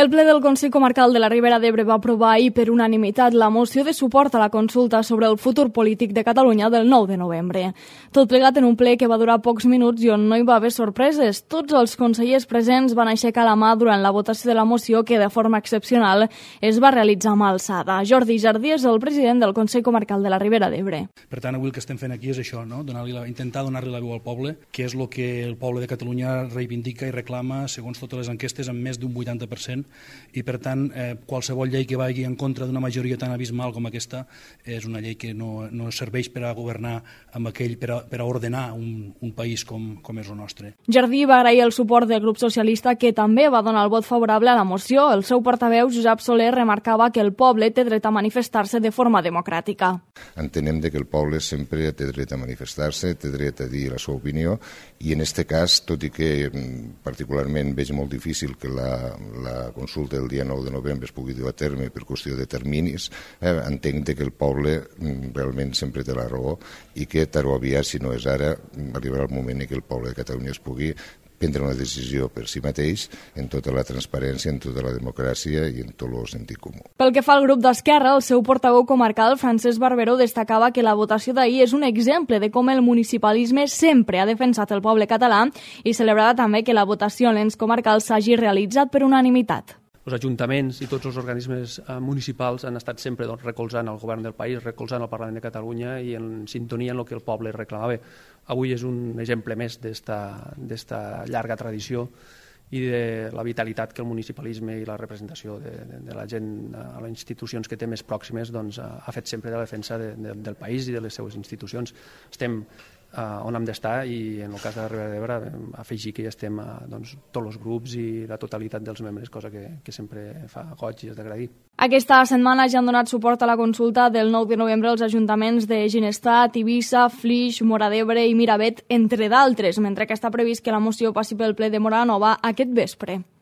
El ple del Consell Comarcal de la Ribera d'Ebre va aprovar ahir per unanimitat la moció de suport a la consulta sobre el futur polític de Catalunya del 9 de novembre. Tot plegat en un ple que va durar pocs minuts i on no hi va haver sorpreses. Tots els consellers presents van aixecar la mà durant la votació de la moció que, de forma excepcional, es va realitzar amb alçada. Jordi Jardí és el president del Consell Comarcal de la Ribera d'Ebre. Per tant, avui el que estem fent aquí és això, no? Intentar donar-li la veu al poble, que és el que el poble de Catalunya reivindica i reclama, segons totes les enquestes, amb més d'un 80%, i per tant qualsevol llei que vagi en contra d'una majoria tan abismal com aquesta és una llei que no serveix per a governar amb aquell, per a ordenar un país com és el nostre. Jardí va agrair el suport del grup socialista, que també va donar el vot favorable a la moció. El seu portaveu, Josep Soler, remarcava que el poble té dret a manifestar-se de forma democràtica. Entenem que el poble sempre té dret a manifestar-se, té dret a dir la seva opinió, i en aquest cas, tot i que particularment veig molt difícil que la consulta el dia 9 de novembre es pugui dur a terme per qüestió de terminis, entenc que el poble realment sempre té la raó i que tard o aviat, si no és ara, arribarà el moment en què el poble de Catalunya es pugui prendre una decisió per si mateix en tota la transparència, en tota la democràcia i en tot el sentit comú. Pel que fa al grup d'Esquerra, el seu portaveu comarcal, Francesc Barberó, destacava que la votació d'ahir és un exemple de com el municipalisme sempre ha defensat el poble català i celebrava també que la votació en l'ens comarcal s'hagi realitzat per unanimitat. Els ajuntaments i tots els organismes municipals han estat sempre recolzant el govern del país, recolzant el Parlament de Catalunya i en sintonia en el que el poble reclamava. Avui és un exemple més d'esta llarga tradició i de la vitalitat que el municipalisme i la representació de la gent a les institucions que té més pròximes ha fet sempre de la defensa del país i de les seues institucions. Estem on hem d'estar i en el cas de la Ribera d'Ebre afegir que hi estem tots els grups i la totalitat dels membres, cosa que sempre fa goig i és d'agrair. Aquesta setmana ja han donat suport a la consulta del 9 de novembre els ajuntaments de Ginestar, Tivissa, Flix, Móra d'Ebre i Miravet, entre d'altres, mentre que està previst que la moció passi pel ple de Móra la Nova aquest vespre.